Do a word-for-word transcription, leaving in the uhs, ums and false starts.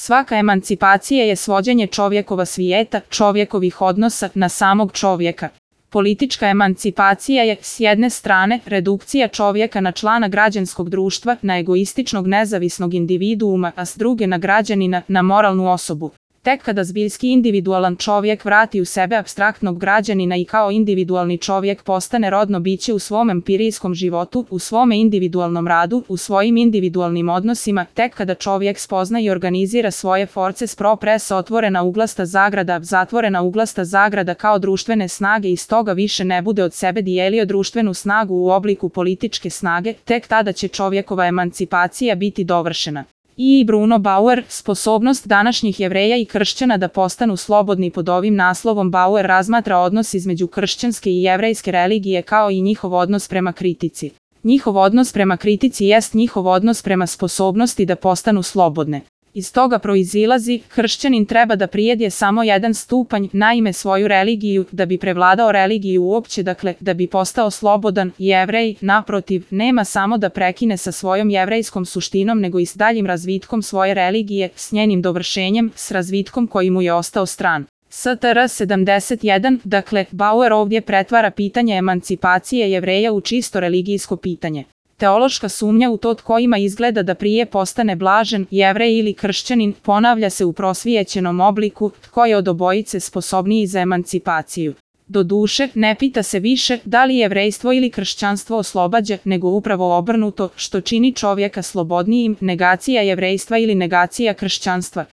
Svaka emancipacija je svođenje čovjekova svijeta, čovjekovih odnosa na samog čovjeka. Politička emancipacija je, s jedne strane, redukcija čovjeka na člana građanskog društva, na egoističnog nezavisnog individuuma, a s druge na građanina, na moralnu osobu. Tek kada zbiljski individualan čovjek vrati u sebe apstraktnog građanina i kao individualni čovjek postane rodno biće u svom empirijskom životu, u svome individualnom radu, u svojim individualnim odnosima, tek kada čovjek spozna i organizira svoje force spro presa otvorena uglasta zagrada, zatvorena uglasta zagrada kao društvene snage i stoga više ne bude od sebe dijelio društvenu snagu u obliku političke snage, tek tada će čovjekova emancipacija biti dovršena. I. Bruno Bauer, sposobnost današnjih Jevreja i kršćana da postanu slobodni. Pod ovim naslovom Bauer razmatra odnos između kršćanske i jevrejske religije kao i njihov odnos prema kritici. Njihov odnos prema kritici jest njihov odnos prema sposobnosti da postanu slobodne. Iz toga proizilazi, kršćanin treba da prijedje samo jedan stupanj, naime svoju religiju, da bi prevladao religiju uopće, dakle, da bi postao slobodan. Jevrej, naprotiv, nema samo da prekine sa svojom jevrejskom suštinom, nego i s daljim razvitkom svoje religije, s njenim dovršenjem, s razvitkom koji mu je ostao stran. S T R sedamdeset jedan, dakle, Bauer ovdje pretvara pitanje emancipacije Jevreja u čisto religijsko pitanje. Teološka sumnja u to tko ima izgleda da prije postane blažen, Jevrej ili kršćanin, ponavlja se u prosvijećenom obliku, tko je od obojice sposobniji za emancipaciju. Doduše, ne pita se više da li jevrejstvo ili kršćanstvo oslobađa, nego upravo obrnuto, što čini čovjeka slobodnijim, negacija jevrejstva ili negacija kršćanstva.